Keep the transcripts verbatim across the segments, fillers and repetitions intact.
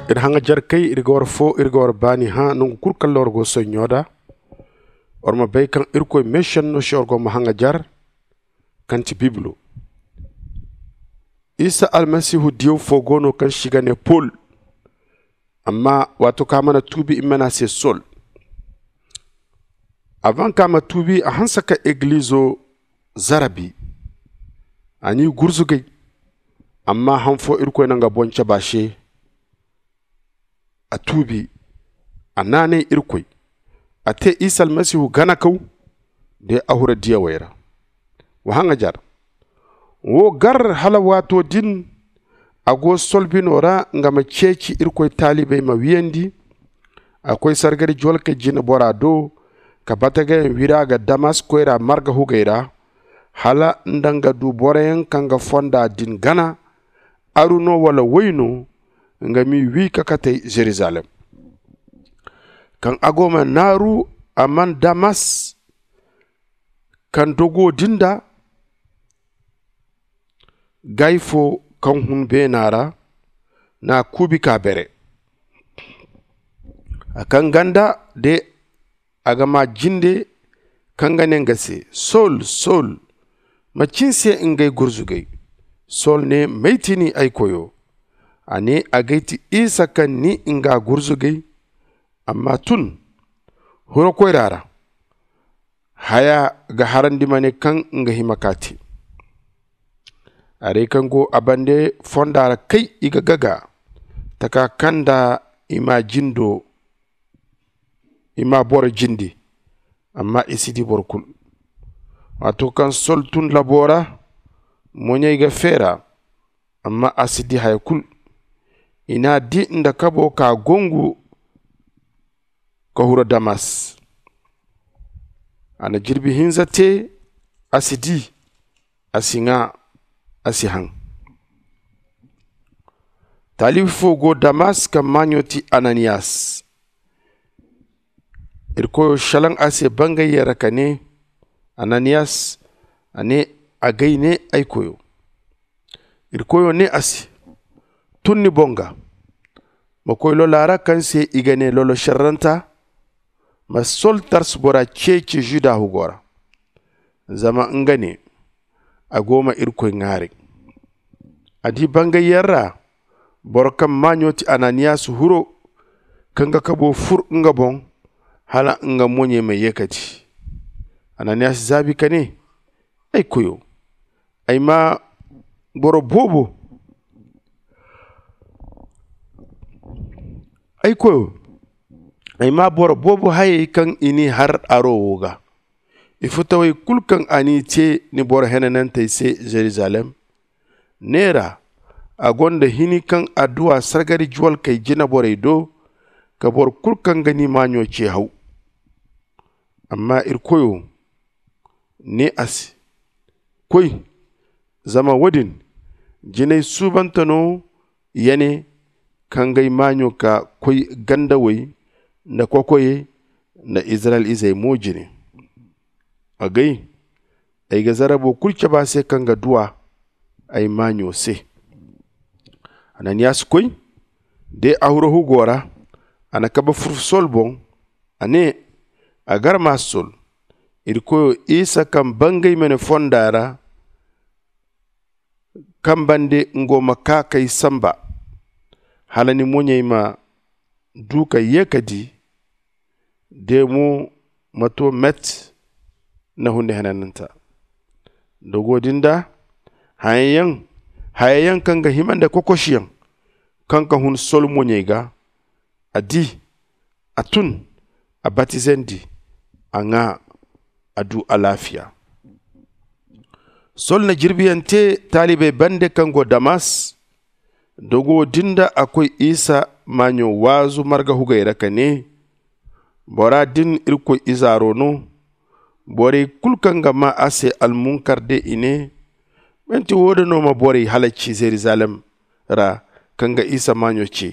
Iri haŋajer kay iri ga war foo iri ga war baani hã nangu kul kaŋ ra war go soɲɲo da. War ma bay kaŋ irkoy meesenno se war go ma haŋajer. Kaŋ ti bibilo isa almasihu diyaw foo go no kaŋ se i ga nee pol. Amma waato kaŋ a mana tuubi i ma ne a se sol. Avan kaŋ a ma tuubi a hanse ka egilizo zarabi. A n'i gurzugay. Amma han foo irkoy na nga boŋ cabe a se. A tuubi. A naanay irkoy. A te isa almasihu ganakaw. De a hura diyawey ra. Wa haŋajer. Wo gar hala waato din. A go sol bino ra nga ma ceeci irkoy taalibey ma wiyandi. A koy sargari juwalkey jineboraa do. Ka batagayaŋ wiri a ga damas koyra marga hugey ra. Hala nda nga du boroyaŋ kaŋ ga fonda din gana. Aru no wala woy no. Nga m'i wi ka katey zerizalem. Kaŋ a go ma naaru a man damas. Kaŋ dogo din da gaay foo kaŋ hun beena ra. N'a kuubi ka bere. A kaŋ ganda de a ga maa jinde kaŋ ga ne nga se, sol sol. Macin se ngey gurzugay? Sol ne, may ti ni ay koyo? A ne, agay ti isa kaŋ ni nga gurzugay. Amma tun huro koyra ra. Haya ga harandi ma ne kaŋ nga hima ka te. Arey kaŋ go a bande fonda ra kay i ga gaga taka kaŋ nda i ma jindo. I ma boro jindi. Amma i si di boro kulu. Waato kaŋ sol tun labo ra moɲey ga feera. Amma a si di haya kulu. I n'a di nda kabo ka gongu ka huru damas. A na jirbi hinza te. A si di. A si ŋaa. A si haŋ. Taalibi fo go damas kaŋ maaɲo ti ananiyas. Irkoyo salaŋ a se bangayyaŋ ra ka ne, ananiyas. A ne, agay ne ay koyo. Irkoyo ne a se, tun ni boŋ ga. Ma koy lola ra kaŋ se i ga ne lolo serranta. Ma sol tarsu bora ceeci zuda hugo ra. Zama nga ne, a go ma irkoy ŋaaray. A di bangayyaŋ ra boro kaŋ maaɲo ti ananiyas huro. Kaŋ ga kabo fur nga boŋ hala nga moɲey ma ye ka di. Ananiyas zaabi ka ne, ay koyo, ay ma boro boobo ay koyo, ay ma boro boobo hayey kaŋ i n'i har aro wo ga. Ifutawey kulu kaŋ a n'i te ni boro henanantey se zerizalem. Neera a gonda hini kaŋ adduwa sargari juwalkey jinaborey do ka boro kulu kaŋ ga ni maaɲo ce haw. Amma irkoyo ne a se, koy. Zama wo-din jinay suubante no ya ne kaŋ g'ay maaɲo ka koy gandawey nda kokoyey nda izirayel izey mo jine. Agay ay ga zarabo kulu cabe a se kaŋ ga duw'a ay maaɲo se. Ananiyas koy de a huru hugo ra. A na kabe fur sol boŋ. A ne, a gar ma sol. Irkoyo isa kaŋ bangay ma ne fonda ra kaŋ bande ngo ma ka kay samba hala ni moɲey ma du ka ye ka di. De mo ma to met na hunde henananta. Dogo din da hayayaŋ hayayaŋ kaŋ ga hima nda kokosiyaŋ kaŋ ka hun sol moɲey ga. A di a tun a batizandi. A ŋaa a du alaafiya. Sol na jirbiyaŋ te taalibey bande kaŋ go damas. Dogo din da a koy isa maaɲo waazu marga hugey ra ka ne, bora din irkoy izaaro no. Borey kulu kaŋ ga maa a se almunkar de i ne, manti wo- din no ma borey halaci zerizalem ra kaŋ ga isa maaɲo ce?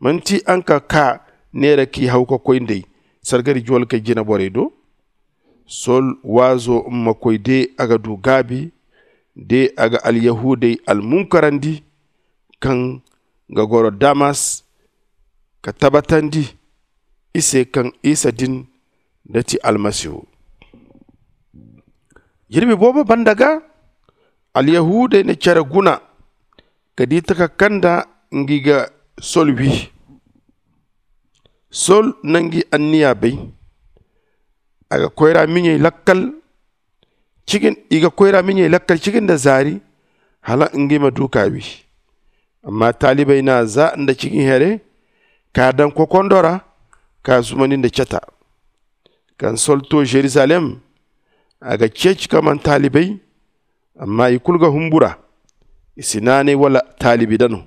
Manti araŋ ka kaa neera k'i haw ka koy nd'ey sargari juwalkey jinaborey do? Sol waazo ma koy de a ga du gaabi de a ga alyahudey almunkarandi kaŋ ga goro damas. ka tabatandi i se kaŋ isa din da ti almasihu. Jirbi boobo banda ga alyahuudey na care guna ka di taka kaŋ nda ngi ga sol wi. Sol na ngi anniya bay. A ga koyra miɲey lakkal cigin i ga koyra miɲey lakkal cigin nda zaari hala ngi ma du ka wi. Amma taalibey na za nda cigin here ka daŋ kokondo ra ka zumandi nda cata. Kaŋ sol to jerusalem a ga ceeci ka man taalibey. Amma i kulu ga humbura i si naanay wala taalibi dano.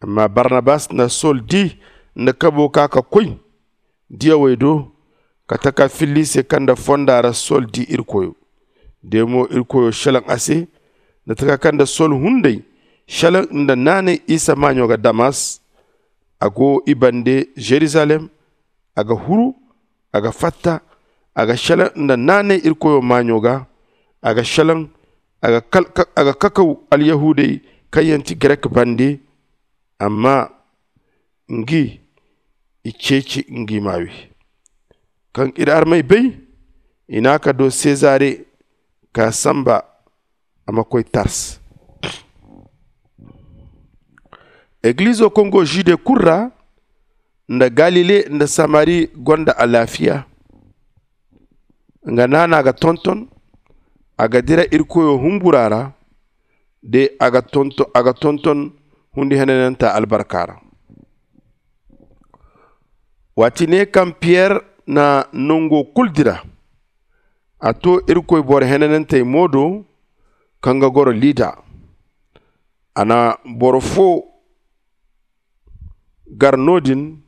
Amma barnabas na sol di nda kabo ka ka koy diyawey do ka taka filli se kaŋ nda fonda ra sol di irkoyo. De mo irkoyo shalaŋ a se nda taka kaŋ nda sol hunday shalaŋ nda naanay isa maaɲo ga damas. A go i bande jerusalem. A ga huru a ga fatta a ga shalaŋ nda naanay irkoyo maaɲo ga. A ga shalaŋ a ga kakaw alyahuudey kaŋ yaŋ ti grek bande. Amma ngi i ceeci ngi ma wi. Kaŋ iri armey bay i na a ka do sezare ka samba a ma koy tars. Egilizo kaŋ go jude kulu ra nda galile nda samari gonda alaafiya. Nga naana ga tonton a ga dira irkoyo humbura ra. De a ga tonton hundi henananta albarka ra. Waati ne kaŋ piyer na nango kulu dira a to irkoy boro henanantey mo do kaŋ ga goro lida. A na boro fo gar no- din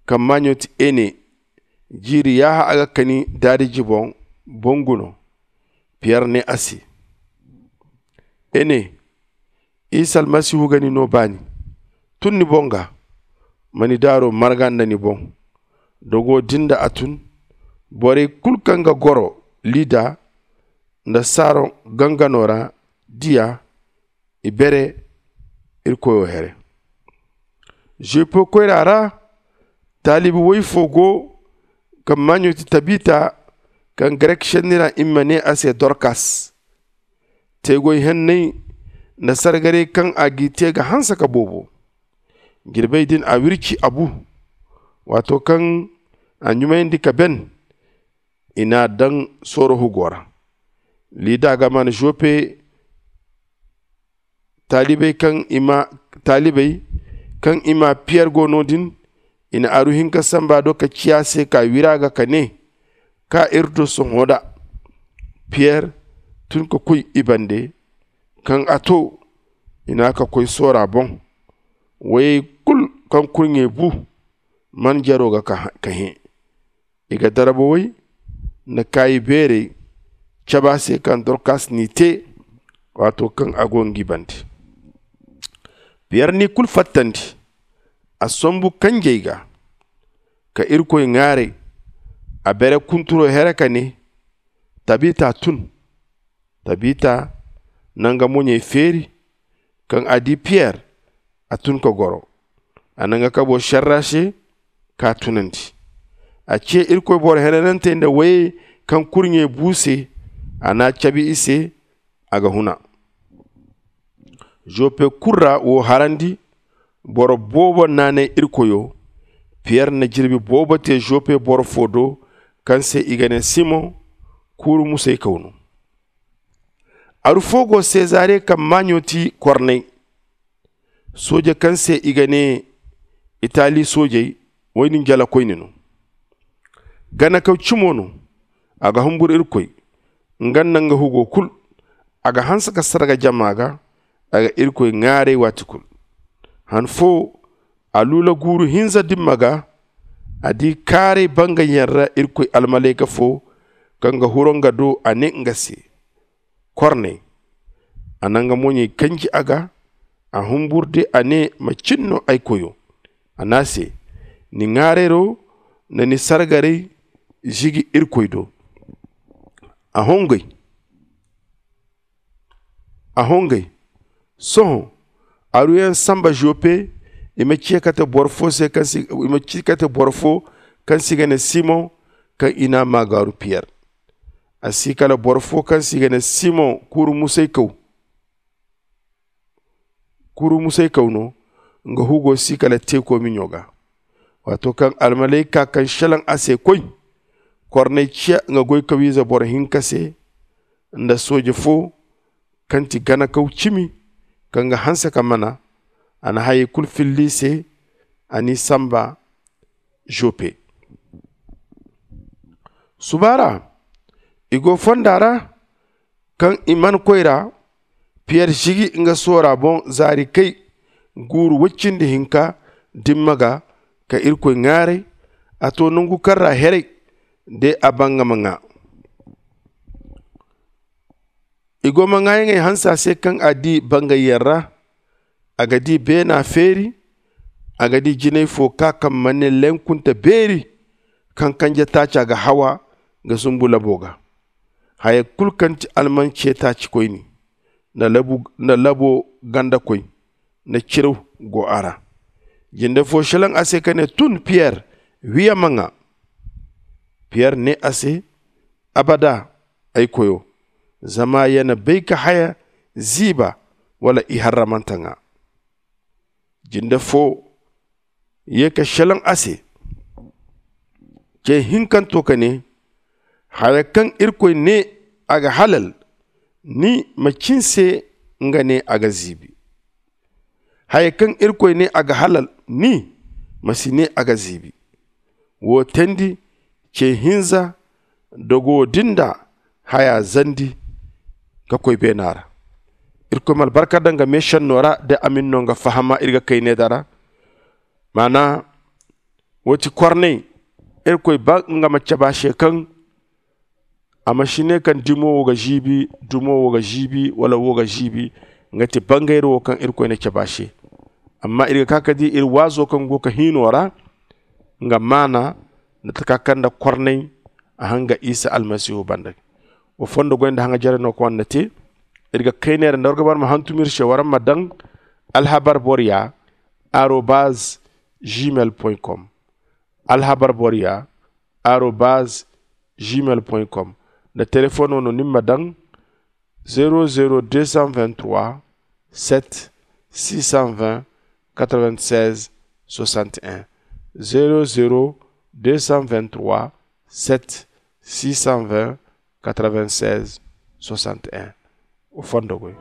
kaŋ maaɲo ti ene jiiri yaaha a ga kani daadiji boŋ boŋ guno. Piyer ne a se, ene, isa almasihu ga ni no baani. Tun ni boŋ ga ma ni daaro marga nda ni boŋ. Dogo din da a tun borey kulu kaŋ ga goro lida nda saron gangano ra di a. I bere irkoyo here. Zupe koyra ra taalibi woy fo go kaŋ maaɲo ti tabita kaŋ grek senni ra i ma ne a se dorkas. Teegoy henney nda sargarey kaŋ a g'i te ga hanse ka boobo. Jirbey din a wirci a bu. Waato kaŋ a ɲumayandi ka ben i n'a daŋ sooro hugo ra. Lida ga man zupe taalibey kaŋ i ma piyer go no- din i na aru hinka samba do ka ciya se ka wira ga ka ne, ka iri do sohõ da. Piyer tun ka koy i bande. Kaŋ a to i na ka koy soora boŋ. Woyey kulu kaŋ kurɲey bu man jaro ga ka hẽ. I ga darba way nda kaayi beerey cabe a se kaŋ dorkas n'i te. Waato kaŋ a go ngi bande piyer n'i kulu fattandi. A sombu kanjey ga ka irkoy ŋwaaray. A bere kunturo here ka ne, tabita tun. Tabita na nga moɲey feeri. Kaŋ a di piyer a tun ka goro. A na nga kabo serre a se k'a tunandi. A ce irkoy boro henanantey nda wayey kaŋ kurɲey bu se. A n'a cabe i se a ga huna. Zope kulu ra wo harandi. Boro boobo naanay irkoyo. Piyer na jirbi boobo te zope boro fo do kaŋ se i ga ne simoŋ. Kuuru musay kaw no. Aru fo go sezare kaŋ maaɲo ti korney. Sooje kaŋ se i ga ne itali soojey. Woy din jalakoyne no. Ganakaw cimo no. A ga humbur irkoy nga nda nga hugo kulu. A ga hanse ka sarga jama ga. A ga irkoy ŋwaaray waati kulu. Han fo a luula guuru hinza dimma ga. A di kaaray bangayaŋ ra irkoy almalayka fo kaŋ ga huru nga do a ne nga se, korney. A na nga moɲey kanji a ga. A humbur de a ne, macin no ay koyo? A ne a se, ni ŋwaarayro nda ni sargarey zigi irkoy do. A hongay a hongay. Sohõ aruyaŋ samba zope. I ma ci kate boro fo se kaŋ si i ma ci kate boro fo kaŋ se i ga ne simoŋ, kaŋ i n'a maagaaru piyer. A si kala boro fo kaŋ se i ga ne simoŋ kuuru musaykaw. Kuuru musaykaw no. Nga hugo si kala teeko miɲo ga. Waato kaŋ almalayka kaŋ selaŋ a se koy, korney ciya nga goykawiize boro hinka se, nda sooje fo kaŋ ti ganakaw cimi, kaŋ ga hanse ka mana. A na hayey kulu filli i se. A n'i samba joppe. Suba ra, i go fonda ra. Kaŋ i mana koy ra, piyer sigi nga soora boŋ zaari kay guuru woy cindi hinka dimma ga ka irkoy ŋaaray. A to nangu kaŋ ra heray de a banga ma ŋaa. I go ma ŋaayaŋey hanse a se kaŋ a di bangayyaŋ ra. A ga di beena feeri. A ga di jinay fo ka kaŋ mana ne lenkunte beeri, kaŋ kanje taaca ga hawa ga zumbu labo ga. Haya kulu kaŋ ti alman ce taacikoyni nda labo gandakoy nda ciraw go a ra. Jinde fo selaŋ a se ka ne tun piyer, wiya ma ŋaa. Piyer ne a se, abada, ay koyo, zama ya na bay ka haya ziiba wala iharramanta ŋaa. Jinde fo ye ka selaŋ a se, ce hinkanto ka ne, haya kaŋ irkoy ne a ga halal, ni ma ci ni se nga ne a ga ziibi. Haya kaŋ irkoy ne a ga halal, ni ma si ne a ga ziibi. Wo teendi, ce hinza dogo din da haya zandi ka koy beena ra. Irkoy ma albarka daŋ nga meesenno ra da a ma ni no nga fahama iri ga kay ne da ra. Maana, wo ti korney, irkoy ba nga ma cabe a se kaŋ a ma si ne kaŋ dimo wo ga ziibi, dumo wo ga ziibi wala wo ga ziibi. Nga ti bangayra wo kaŋ irkoy na cabe a se. Amma iri ga ka ga di iri waazo kaŋ go ga hiino ra, nga maana nda taka kaŋ nda korney a hanga isa almasihu banda. Wa fondo goy nda hanga jare no kaŋ waraŋ na te. Iri ga kay neera nda war ga bara ma hantum iri se waraŋ ma daŋ alhabar boro ya arobaz gmail point com. Alhabar boro ya arobaz gmail point com. Nda telefoŋo no ni ma daŋ zero zero deux cent vingt-trois sept six cent vingt quatre-vingt-seize soixante et un. Zero zero deux cent vingt-trois sept six cent vingt quatre-vingt-seize soixante et un. Wa fondo goy.